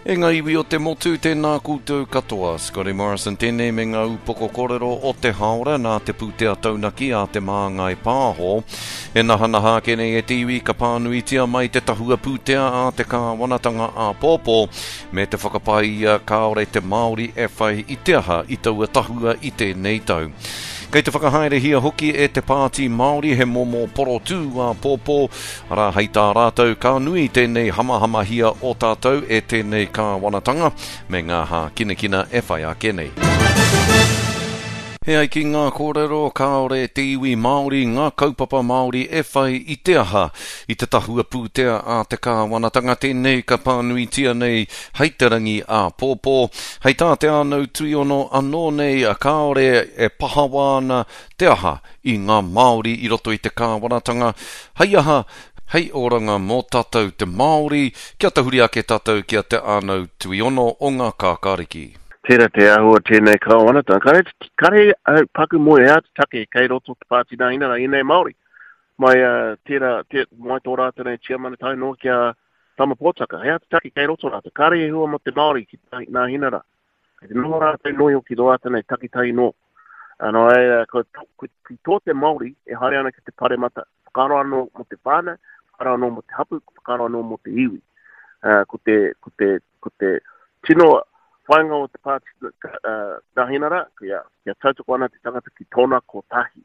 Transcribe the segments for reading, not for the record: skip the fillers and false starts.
E ngā iwi o te motu, tēnā koutou katoa. Scotty Morrison tēnei me ngā upoko kōrero o te hāora nā te pūtea taunaki a Te Māngai Pāho. E nahanaha ake nei e te iwi ka pānuitia mai te tahua pūtea a te kāwanatanga āpōpō me te whakapae ia kāore te Māori e whai i te aha i taua tahua i tēnei tau. Kei te whakahaerehia hoki e te Pāti Māori he momo porotū āpōpō Arā, hei tā rātou, ka nui tēnei hamahamahia o tātou e tēnei kāwanatanga me ngā hākinakina e whai ake nei. E ai ki ngā kōrero, kāore te iwi Māori, ngā kaupapa Māori e whai i te aha. I te tahua pūtea a te kāwanatanga tēnei ka pānuitia nei hei te rangi āpōpō. Hei tā Te Ānau Tuiono anō nei, kāore e pahawa ana te aha i ngā Māori i roto i te kāwanatanga, hei aha, hei oranga mō tātou te Māori, kia tahuri ake tātou ki a Te Ānau Tuiono o ngā Kākāriki. Tērā te āhua tēnei kāwanatanga. Kare, kare au paku moe he aha te take kei roto te Pāti Nāhinara ēnei Māori. Mai uh, tērā, tē, mai tō rātou nei tiamana tae noa ki a Tama Pōtaka. He aha te take kei roto rātou. Kare he hua mō te Māori ki Nāhinara. Kei te noho rātou noio ki tō rātou nei takitahi nō. Nō reira, ko, ko, ki tō te Māori e haere ana ki te paremata, whakaaro anō mō te whānau, whakaaro anō mō te hapu, whakaaro anō mō te iwi. Uh, ko te, ko te, ko te tino whāinga o te pāti uh, Nāhinara, kia, kia tautoko ana te tangata ki tōna kotahi.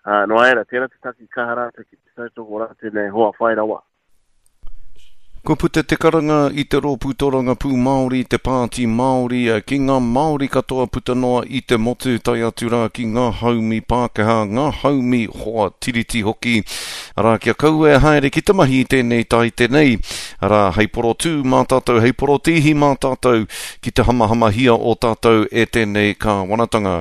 Uh, nō reira, tērā te take kaha rātou ki te tautoko rātou nei hoa whai rawa. Kua puta te karanga i te Rōpū Torangapū Māori, te Pāti Māori, ki ngā Māori katoa puta noa i te motu, tae atu rā ki ngā haumi Pākehā, ngā haumi hoa tiriti hoki, arā, kia kaua e haere ki te mahi i tēnei taite nei, arā, hei porotū mā tātou, hei porotīhi mā tātou ki te hamahamahia o tātou e tēnei kāwanatanga.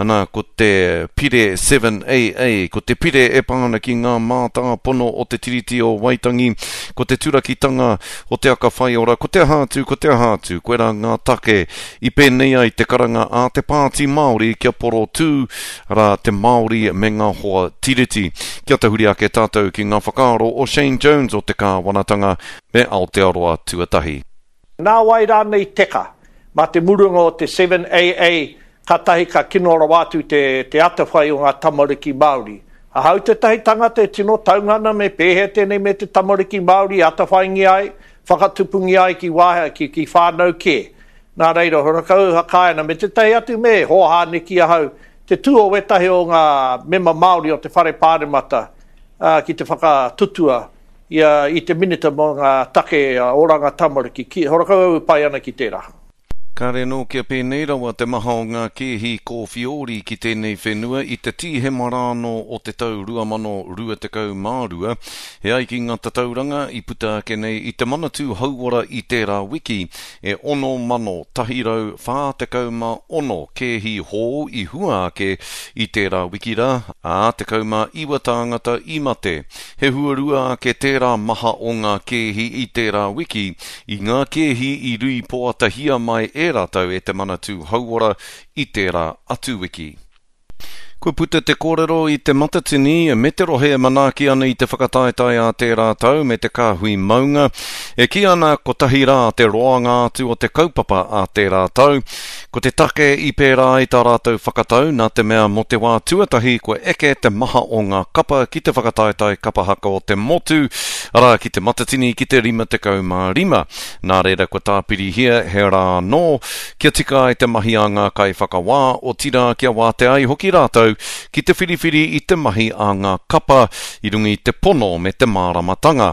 Ana, ko te Pire 7AA, ko te pire e pā ana ki ngā mātāpono o te Tiriti o Waitangi, ko te turakitanga o te aka whaiora, ko te aha atu, ko te aha atu, koirā ngā take i pēnei ai te karanga a te Pāti Māori kia porotū, arā, te Māori me ngā hoa Tiriti. Kia tahuri ake tātou ki ngā whakaaro o Shane Jones o te Kāwanatanga me Aotearoa Tuatahi. Nā wai rānei teka? Mā te murunga o te 7AA kātahi ka kino rawa atu te te atawhai o ngā tamariki Māori. Ahau tētahi tangata e tino taunga ana me pēhea tēnei me te tamariki Māori e atawhaingia ai, whakatupungia ai ki wāhea, ki, ki whānau kē. Nā reira, horakau whakaae ana me tētahi atu me hōhā neki ahau te tū o wētahi o ngā mema Māori o te Whare Pāremata ki te whakatutua ia i te Minita mō ngā take oranga tamariki, ki, horakau au e pai ana ki tērā. Kāre anō kia pēnei rawa te maha o ngā kēhi kōwhiori ki tēnei whenua i te Tīhema rānō o te tau 2022. E ai ki ngā tatauranga i puta ake nei i te Manatū Hauora i tērā wiki, e 6,146 kēhi hou i hua ake i tērā wiki rā, ā, 19 tāngata i mate. He huarua ake tērā maha o ngā kēhi i tērā wiki, i ngā kēhi i rīpoatahia mai e rātou e te Manatū Hauora i tērā atu wiki. Kua puta te kōrero i Te Matatini me te rohe e manaaki ana i te whakataetae a tērā tau me te kāhui maunga, e kī ana kotahi rā te roanga atu o te kaupapa a tērā tau. Ko te take i pērā ai tā rātou whakatau nā te mea mō te wā tuatahi kua eke te maha o ngā kapa ki te whakataetae kapa haka o te motu, arā ki Te Matatini ki te 55. Nā reira kua tāpirihia he rā anō kia tika ai te mahi a ngā kaiwhakawā, otirā kia wātea ai hoki rātou ki te whiriwhiri i te mahi a ngā kapa i runga i te pono me te māramatanga.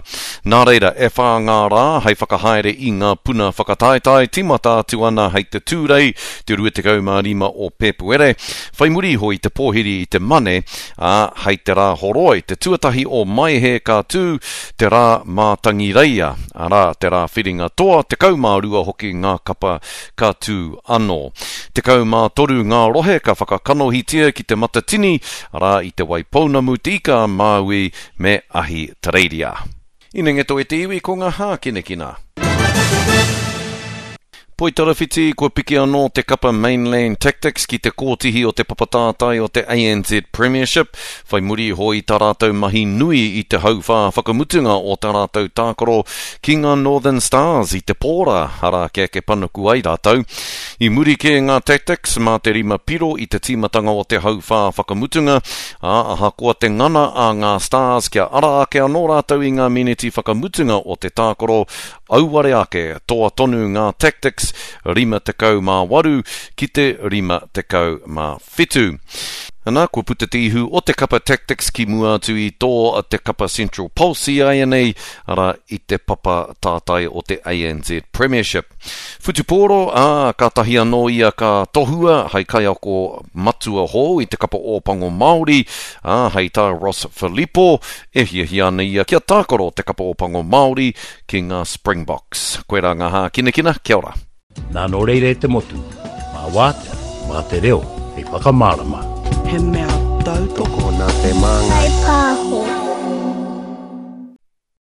Nā reira, e whā ngā rā hei whakahaere i ngā puna whakataetae, tīmata atu ana hei te Tūrei, te 25 o Pēpuere, whai muri iho i te pōhiri i te Mane, ā, hei te Rāhoroi, te tuatahi o Maehe ka tū te Rā Mātangireia, arā, te Rā Whiringa Toa, 12 hoki ngā kapa ka tū anō. 13 ngā rohe ka whakakanohitia ki Te Matatini, arā, i Te Waipounamu, Te Ika-a-Māui me Ahitereiria. Inengeto e te iwi ko ngā hākinakina. Poitarawhiti, kua piki anō te kapa Mainland Tactics ki te kōtihi o te papatātai o te ANZ Premiership, whai muri iho i tā rātou mahi nui i te hauwhā whakamutunga o tā rātou tākaro ki ngā Northern Stars i te pōra, arā kia eke panuku ai rātou. I muri kē ngā Tactics mā te rima piro i te tīmatanga o te hauwhā whakamutunga, ā, ahakoa te ngana a ngā Stars kia ara ake anō rātou i ngā meneti whakamutunga o te tākaro, Auare ake, toa tonu ngā Tactics 58 ki te 57. Ana, kua puta te ihu o te kapa Tactics ki mua atu i tō te kapa Central Pulse āianei, arā, i te papa tātai o te ANZ Premiership. Whutupōro, ā, kātahi anō ia ka tohua hei kaiako matua hou i te kapa Ōpango Māori, ā, hei tā Ross Filipo, e hiahia ana ia kia tākaro te kapa Ōpango Māori ki ngā Springboks. Koirā ngā hākinakina, kia ora. Nā nō reira e te motu, mā wātea, mā te reo hei whakamārama. He mea tautoko nā te māngai. Pāho.